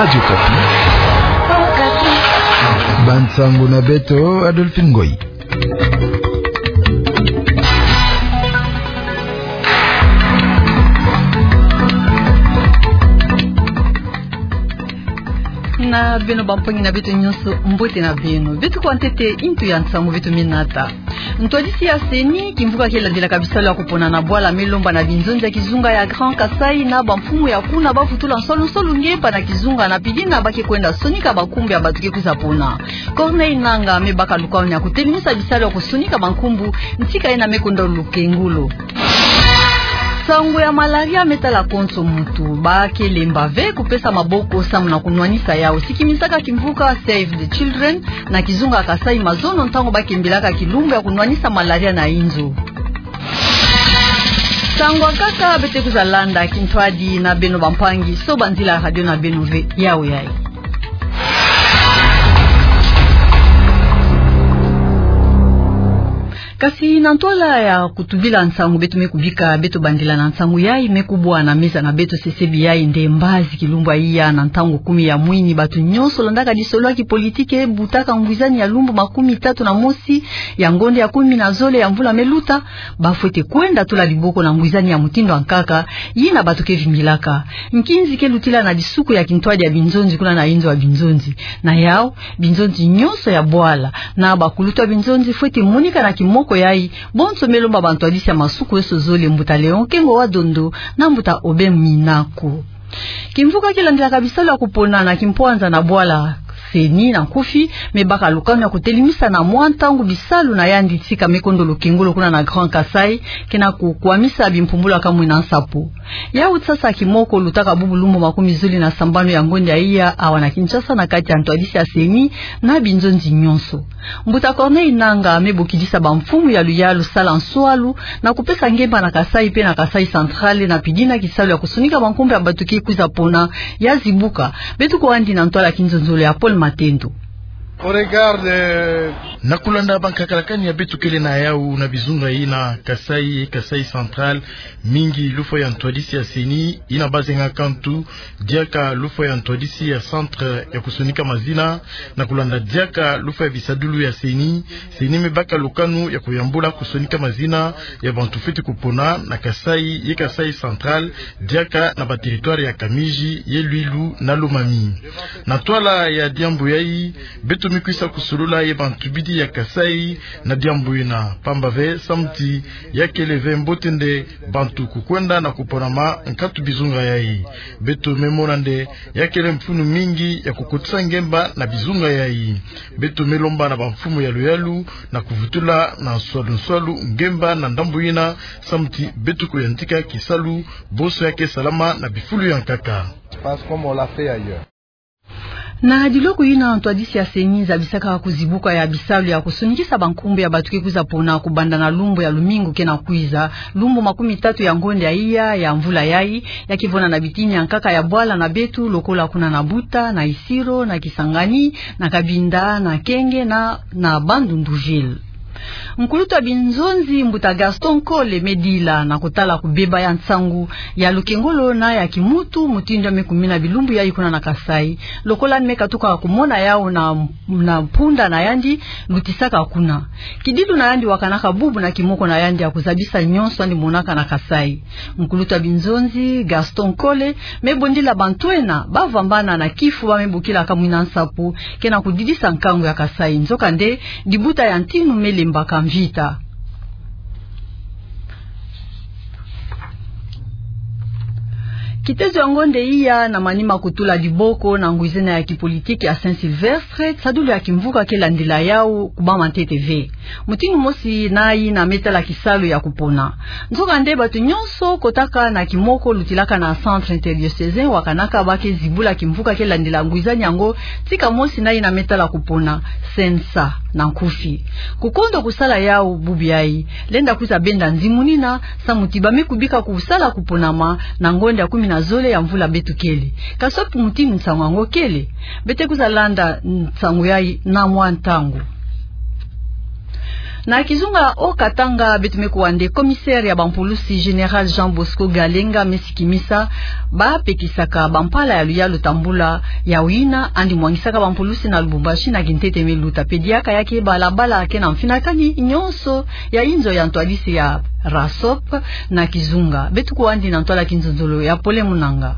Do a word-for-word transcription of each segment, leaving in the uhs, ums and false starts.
Radio Okapi. Bansango na beto, Adolphine Ngoyi. Na beno bampangi na beto nyonso, mbote na beno. Beto kwa ntete intu ya nsangu beto me nata. Ntwadisi ya CENI, kimvuka ke landelaka bisalu ya kupona na bwala, me lomba na binzonzi ya kizunga ya Grand Kasaï na bamfumu ya kuna bavutula nsolu nsolu ngemba na kizunga na pidina ba ke kwenda sonika bankumbu ya bato ke kwiza pona. Corneille Nangaa me baka lukanu ya kutelimisa bisalu ya kusonika bankumbu, ntika yina me kwenda lukengolo. Sango ya malaria me tala konso muntu, ba ke lemba ve kupesa maboko samu na kunwanisa yau, sikimisaka kimvuka Save the Children na kizunga Kasaï Mazono, ntango ba kembilaka kilumbu ya kunwanisa malaria na inzo. Sango ya nkaka beto kwiza landa kintwadi na beno bampangi, sobanzila radio na beno ve, yau yai. Kasi na ntwala ya kutubila nsangu beto me kubika, beto bandila na nsangu yai me kubwa na meza na beto, sesebi yai nde mbazi kilumbu ya iya na ntangu kumi ya mwini, bato nyonso landaka lisolo ya kipolitike butaka ngwizani ya lumbu makumi tatu na mosi ya ngonde ya kumi na zole ya mvula me luta, ba fwete kwenda tula liboko na ngwizani ya mutindu ya nkaka, yina bato ke vingilaka. Nkinzi ke lutila na bisuku ya kintwadi ya binzonzi kuna na inzo ya binzonzi. Na yau, binzonzi nyonso ya bwala na bakulutu ya binzonzi fwete monika na kimoko yai, bonso me lomba bantwadisi ya masuku yoso zole, mbuta Léon Kengo wa Dondo na mbuta Aubin Minako. Kimvuka ke landelaka bisalu ya kupona na kimpwanza na bwala, CENI na nkufi, me baka lukanu ya kutelimisa na mwa ntangu bisalu na yandi, tika me kwenda lukengolo kuna na Grand Kasaï, ke na kukwamisa bimpumbulu ya kamwina nsapo. Yau sasa kimoko lutaka bubu lumbu makumi zole na sambanu ya ngonde ya iya awa na Kinshasa, na kati ya ntwadisi ya CENI na binzonzi nyonso. Mbuta Corneille Nangaa me bokidisa bamfumu ya luyalu sala nswalu na kupesa ngemba na Kasaï pe na Kasaï Central na pidina kisalu ya kusonika bankumbu ya bato ke kwiza pona ya zibuka. Beto kwandi na ntwala ya kinzonzolo ya Paul Matendo. Au regard de... Na kulanda bankaka lakani ya beto kele na yau na bizunga yina Kasaï, Kasaï Central, mingi lufwa ya ntwadisi ya CENI yina bazenga kantu, diaka lufwa ya ntwadisi ya centre ya kusonika mazina, na kulanda diaka lufwa ya bisadulu ya CENI, CENI me baka lukanu ya kuyambula kusonika mazina ya bantu fwete kupona na Kasaï ye Kasaï Central, diaka na ba territoire ya Kamiji ye Luilu na Lomami. Na ntwala ya diambu yai, beto me kwisa kusolula ye bantubidi ya Kasaï na diambu yina, pamba ve samu ti ya kele ve mbote nde bantu kukwenda na kuponama nkatu bizunga yai. Beto me mona nde ya kele mfunu mingi ya kukotisa ngemba na bizunga yai. Beto me lomba na bamfumu ya luyalu na kuvutula na nswalu nswalu ngemba na ndambu yina, samu ti beto kuyantika kisalu bonso ya ke salama na bifulu ya nkaka. Parce que comme on l'a fait ailleurs. Na diloku yina, ntwadisi ya CENI zabisaka kuzibuka ya bisalu ya kusonikisa bankumbu ya bato ke kwiza pona kubanda na lumbu ya lumingu ke na kwiza, lumbu makumi tatu ya ngonde ya iya ya mvula yai, ya ke vwanda na bitini ya nkaka ya bwala na beto, lokola kuna na Buta, na Isiro, na Kisangani, na Cabinda, na Kenge na, na Bandundu-Ville. Nkulutu ya binzonzi, mbuta Gaston Nkole, me dila na kutala kubeba ya nsangu ya lukengolo na ya kimuntu, mutindu ya me kumina bilumbu yai kuna na Kasaï. Lokola me katuka kumona yau na, na mpunda na yandi lutisaka kuna. Kidilu na yandi wakanaka bubu na kimoko na yandi ya kuzabisa nyonso yandi monaka na Kasaï. Nkulutu ya binzonzi, Gaston Nkole, me bondila bantu ena bavambana na kifu ba me bokila kamwina nsapo, ke na kudidisa nkangu ya Kasaï. Nzokande, dibuta ya ntinu me lembaka mvita. Kitezo ya ngonde iya na manima kutula diboko na ngwizena ya kipolitiki ya Saint-Sylvestre, tisadulu ya kimvuka ke landila yau kubama ntete ve. Mutindu mosi na yina me tala kisalu ya kupona. Nzokande bato nyonso kotaka na kimoko lutilaka na centre interdiocésain wakanaka ba ke zibula kimvuka ke landila ngwizani yango, tika mosi na yina me tala kupona, CNSA na nkufi. Kukondo kusala yau bubu yai, lenda kwiza benda nzimunina, samu ti ba me kubika kusala kuponama na ngonde ya kumi na zole ya mvula beto kele. Kasi wapi mutindu nsangu yango kele? Beto kwiza landa nsangu yai na mwa ntangu. Na kizunga Haut-Katanga, beto me kuwa nde commissaire ya bampulusi, Général Jean Bosco Galenga, me sikimisa bapekisaka bampala ya luyalu tambula ya wina, andi mwangisaka bampulusi na Lubumbashi na kintete me luta. Pe diaka ya ke balabala ke na mfinakani nyonso ya inzo ya ntwadisi ya RASOP na kizunga. Beto kuwa andi na ntwala kinzonzolo ya Pole Munanga.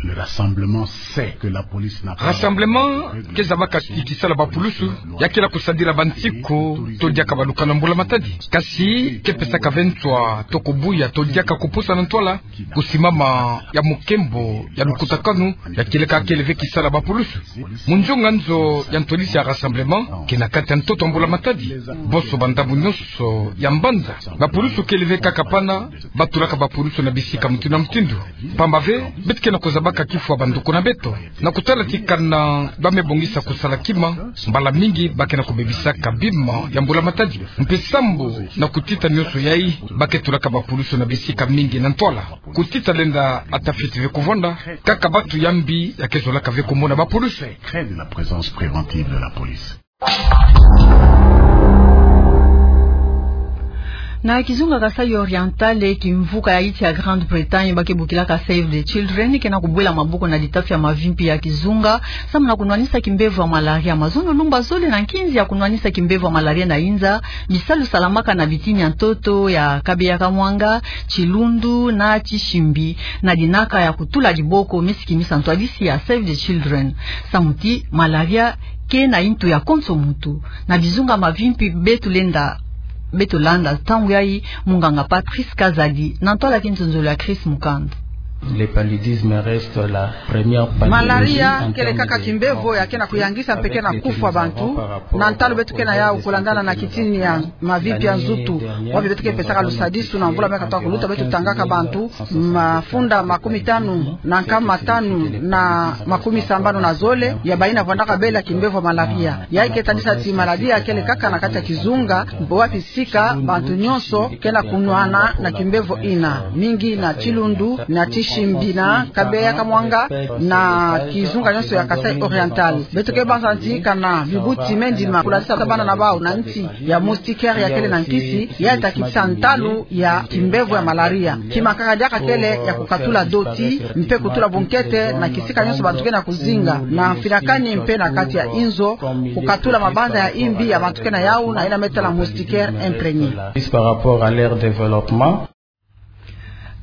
Le rassemblement sait que la police n'a pas... Rassemblement ke zabaka ti kisala bapulusu ya ke na kusadila bansiku to diaka baluka na mbula-matadi. Kasi ke pesaka ve nswa to kubuya to diaka kupusa na ntwala kusimama ya mukembo ya lukutakanu ya kieleka kele ve kisala bapulusu. Mu nzonga nzo ya ntwadisi ya rassemblement ke na kati ya ntoto ya mbula-matadi, bonso bandambu nyonso ya mbanza. Bapulusu kele ve kaka pana, batulaka bapulusu na bisika mutindu na mutindu. Pamba ve, beto ke na kuzabaka kifwa bandoko na beto. Na kutala ti kana ba me bongisa kusala kima, mbala mingi ba ke na kubebisaka bima ya mbula-matadi. Mpe sambu na kutita nyonso yai, ba ke tulaka bapulusu na bisika mingi na ntwala. Kutita lenda ata fioti ve kuvwanda, kaka bantu ya mbi ya ke zolaka ve kumona bapulusu. Secret de la présence préventive de la police. Na kizunga Kasaï Oriental, kimvuka ya insi ya Grande-Bretagne ba ke bokilaka Save the Children ke na kubwela maboko na litafi ya mavimpi ya kizunga, samu na kunwanisa kimbevo ya malaria. Mazono lumbu zole na nkinzi ya kunwanisa kimbevo ya malaria na inza, bisalu salamaka na bitini ya ntoto ya Kabeya Kamwanga, Chilundu na Tishimbi, na dinaka ya kutula diboko, me sikimisa ntwadisi ya Save the Children. Samu ti malaria ke na intu ya konso muntu. Na bizunga mavimpi beto lenda, beto landa ntangu yai, munganga Patrice Kazadi, na ntwala kinzonzolo ya Chris Mukand. Le paludisme reste la première pathologie. Malaria kele kaka kimbevo ya ke na kuyangisa mpe ke na kufwa bantu, na ntalu beto ke na yau kulandana na kitini ya mavimpi ya nzutu. Wapi beto ke pesaka lusadisu na mvula me katuka kuluta, beto tangaka bantu mafunda makumi tanu na nkama tanu na makumi sambanu na zole ya bayina vwandaka bela kimbevo malaria. Yai ke tadisa ti malaria kele kaka na kati ya kizunga, wapi sika bantu nyonso ke na kunwana na kimbevo ina, mingi na Chilundu, na Tishimbi, na Kabeya Kamwanga, na kizunga nyonso ya Kasaï Oriental. Beto ke banza ti kana bibuti me ndima kulatisa bana na bau na nsi ya moustiquaire ya kele na nkisi, ya ta kitisa ntalu ya kimbevo ya malaria. Kima kaka diaka kele ya kukatula doti, mpe kutula bunkete na kisika nyonso bantu ke na kuzinga, na mfinakani mpe na kati ya inzo, kukatula mabanza ya imbi ya bantu ke na yau na yina me tala moustiquaire imprégné. Par rapport à leur développement.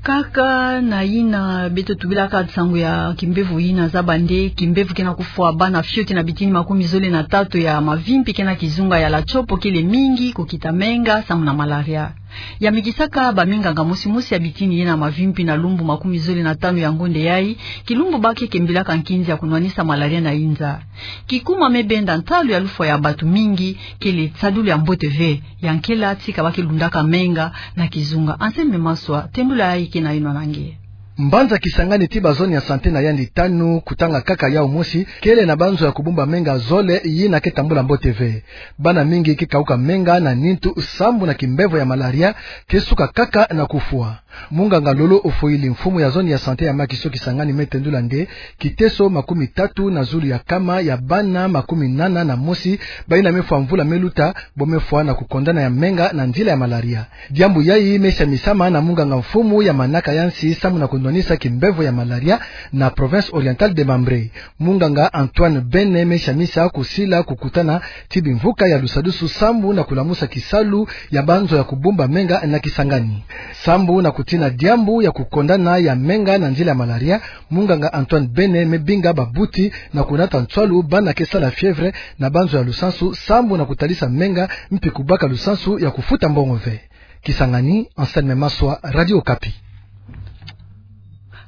Kaka na yina beto tubilaka nsangu ya kimbevo yina, zaba nde kimbevo ke na kufwa bana fioti na bitini makumi zole na tatu ya mavimpi ke na kizunga ya La Tshopo kele mingi kukita menga samu na malaria. Ya mikisaka baminganga mosi mosi ya bitini yina mavimpi na lumbu makumi zole na tanu ya ngonde yai, kilumbu ba ke kembilaka nkinzi ya kunwanisa malaria na inza. Kikuma me benda ntalu ya lufwa ya bantu mingi kele tisadulu ya mbote ve. Ya nkela tika ba ke lundaka menga na kizunga. Anselme Maswa, tendula yai ke na yinwa na nge. Mbanza Kisangani ti ba zone ya santé na yandi tanu, kutanga kaka yau mosi, kele na banzo ya kubumba menga zole yina ke tambula mbote ve. Bana mingi ke kauka menga na nintu sambu na kimbevo ya malaria, ke suka kaka na kufwa. Munganga Lolo Ofoili, mfumu ya zone ya santé ya Makiso Kisangani, me tendula nde kiteso makumi tatu na zulu ya kama ya bana makumi nana na mosi bayina me fwa mvula me luta bo me fwa na kukondana ya menga na nzila ya malaria. Diambu yai me siamisama na munganga mfumu ya manaka ya nsi samu na kunwanisa kimbevo ya malaria na Province Orientale des Mambré. Munganga Antoine Bene me siamisa kusila kukutana ti bimvuka ya lusadusu sambu na kulamusa kisalu ya banzo ya kubumba menga na Kisangani. Sambu na kutina diambu ya kukondana ya menga na nzila ya malaria, munganga Antoine Bene me binga babuti na kunata nswalu bana ke sala fièvre na banzo ya lusansu sambu na kutalisa menga mpi kubaka lusansu ya kufuta mbongo ve. Kisangani, Anselme Maswa, Radio Okapi.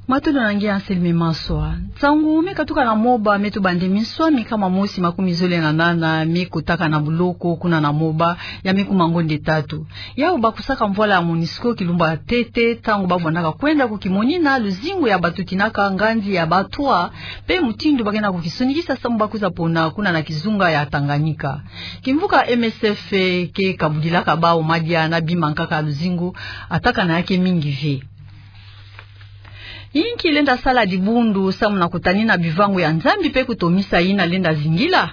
Matondo na nge Anselme Maswa. Nsangu me katuka na Moba me tuba nde minswa mikama mosi makumi zole na nana me kotaka na buloko kuna na Moba, ya me kuma ngonde tatu. Yau bakusaka mvwala ya MONUSCO kilumbu ya ntete, ntangu bavwandaka kwenda kukimonina luzingu ya bato tinaka nganzi ya batwa, mpe mutindu ba ke na kukisonikisa sambu ba kwiza pona kuna na kizunga ya Tanganyika. Kimvuka M S F ke kabudilaka bau madia na bima nkaka ya luzingu, atakana ya ke mingi ve. Inki lenda sala dibundu samu na kutanina bivangu ya Nzambi mpe kutomisa yina lenda zingila?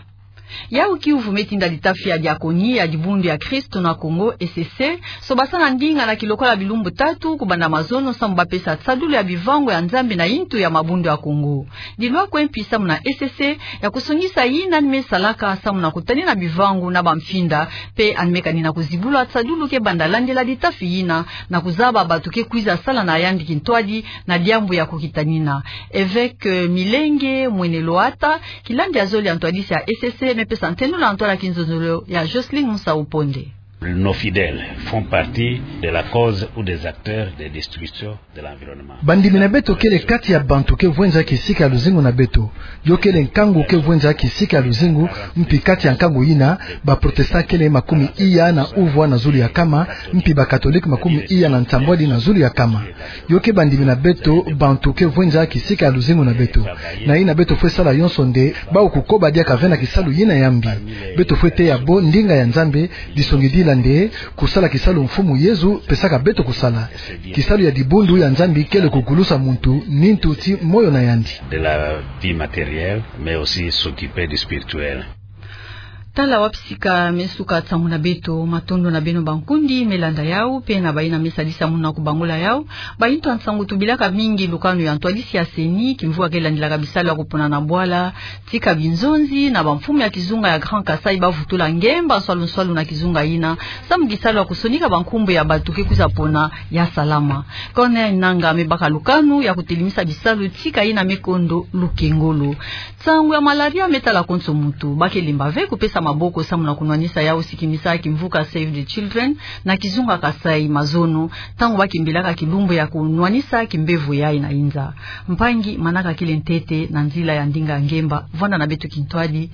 Yau kiuvu me tinda litafi ya diakoni ya Dibundu ya Kristo na Kongo, E C C, sobasana ndinga na kilokola bilumbu tatu kubanda mazono samu ba pesa tadulu ya bivangu ya Nzambi na yintu ya mabundu ya Kongo. Dilwa kwe mpi samu na E C C ya kusongisa yina ni me salaka samu na kutanina bivangu na bamfinda, mpe ani me kanina kuzibula tadulu ke banda landila litafi yina na kuzaba bantu ke kwiza sala na yandi kintwadi na diambu ya kukitanina. Évêque, euh, Milenge Mwene Loata, kilandi ya zole ya ntwadisi ya E C C, me pesa ntendula ntwala kinzonzolo ya Jocelyne Musa Uponde. Nos fidèles font partie de la cause ou des acteurs de destruction de l'environnement. Bandimi na beto kele kati ya bantu ke vwenza kisika ya luzingu na beto. Yo kele nkangu ke vwenza kisika ya luzingu, mpi kati ya nkangu yina, ba protestant kele makumi iya na uvwa na zulu ya kama, mpi ba catholique makumi iya na nsambwadi na zulu ya kama. Yo ke bandimi na beto, bantu ke vwenza kisika ya luzingu na beto. Na yina beto fwe sala yonso nde, bau kukoba diaka ve na kisalu yina ya mbi. Beto fwe teya bo ndinga ya Nzambi, disongidila nde, kusala kisalu Mfumu Yezu pesaka beto kusala. Kisalu ya dibundu ya Nzambi kele kugulusa muntu, nintu ti moyo na yandi. De la vie matérielle, mais aussi s'occuper du spirituel. Tala wapi sika me suka nsangu na beto, matondo na beno bankundi me landa yau, mpe na bayina me sadisa munu na kubangula yau. Bayintu ya nsangu, tubilaka mingi lukanu ya ntwadisi ya CENI, kimvuka ke landilaka bisalu ya kupona na bwala, tika binzonzi na bamfumu ya kizunga ya Grand Kasaï bavutula ngemba nswalu nswalu na kizunga yina, samu kisalu ya kusonika bankumbu ya bantu ke kwiza pona ya salama. Corneille Nangaa me baka lukanu ya kutelemisa bisalu tika yina me kondo lukengolo. Nsangu ya malaria me tala konso muntu, ba ke lemba ve kupesa maboko samu na kunwanisa yau, sikimisa kimvuka Save the Children na kizunga Kasaï mazono, ntangu ba kimbilaka kilumbu ya kunwanisa kimbevo yayi na inza. Mpangi, manaka kele ntete na nzila ya ndinga ngemba, vwanda na beto kintwadi.